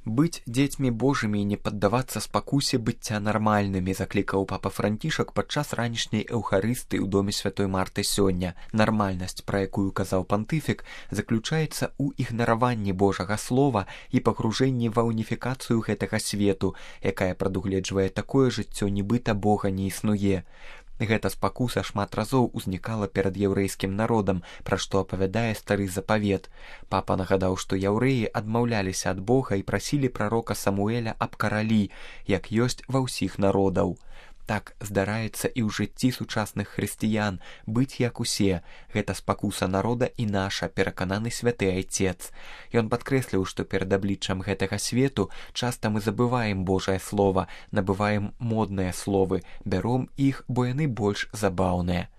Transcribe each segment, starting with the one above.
Быць дзецьмі Божымі і не паддавацца спакусе быцця нармальнымі, заклікаў папа Францішак падчас ранішняй эўхарыстыі ў доме святой Марты сёння. Нармальнасць, пра якую казаў пантыфік, заключаецца ў ігнараванні Божага слова і пагружэнні ва уніфікацыю гэтага свету, якая прадугледжвае такое жыццё, нібыта Бога не існуе. Гэта спакуса шмат разоў узнікала перад яўрэйскім народам, пра што апавядае стары запавет. Папа нагадаў, што яўрэі адмаўляліся ад Бога і прасілі прарока Самуэля аб каралі, як ёсць ва ўсіх народаў. Так здараецца і ў жыцці сучасных хрысціян, быць як усе. Гэта спакуса народа і наша, перакананы святы айцец. Ён падкрэсліў, што перад абліччам гэтага свету часта мы забываем Божае слова, набываем модныя словы, бяром іх, бо яны больш забаўныя.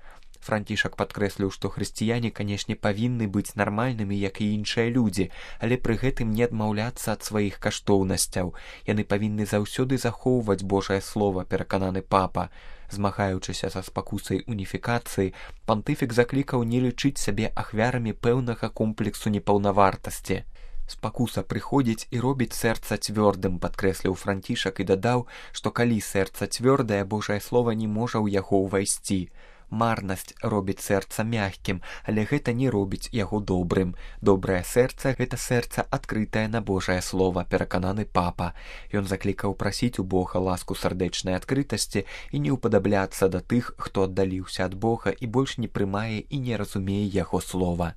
Францішак падкрэсліў, што хрысціяне, канешне, павінны быць нармальнымі, як і іншыя людзі, але пры гэтым не адмаўляцца ад сваіх каштоўнасцяў. Яны павінны заўсёды захоўваць Божае слова, перакананы папа. Змагаючыся са спакусай уніфікацыі, пантыфік заклікаў не лічыць сябе ахвярамі пэўнага комплексу непаўнавартасці. Спакуса прыходзіць і робіць сэрца цвёрдым, падкрэсліў Францішак і дадаў, што калі сэрца цвёрдае, Божае слова не можа ў яго ўвайсці. Марнасць робіць сэрца мяккім, але гэта не робіць яго добрым. Добрае сэрца – гэта сэрца адкрытае на Божае слова, перакананы папа. Ён заклікаў прасіць у Бога ласку сардэчнай адкрытасці і не ўпадабляцца да тых, хто аддаліўся ад Бога і больш не прымае і не разумее яго слова.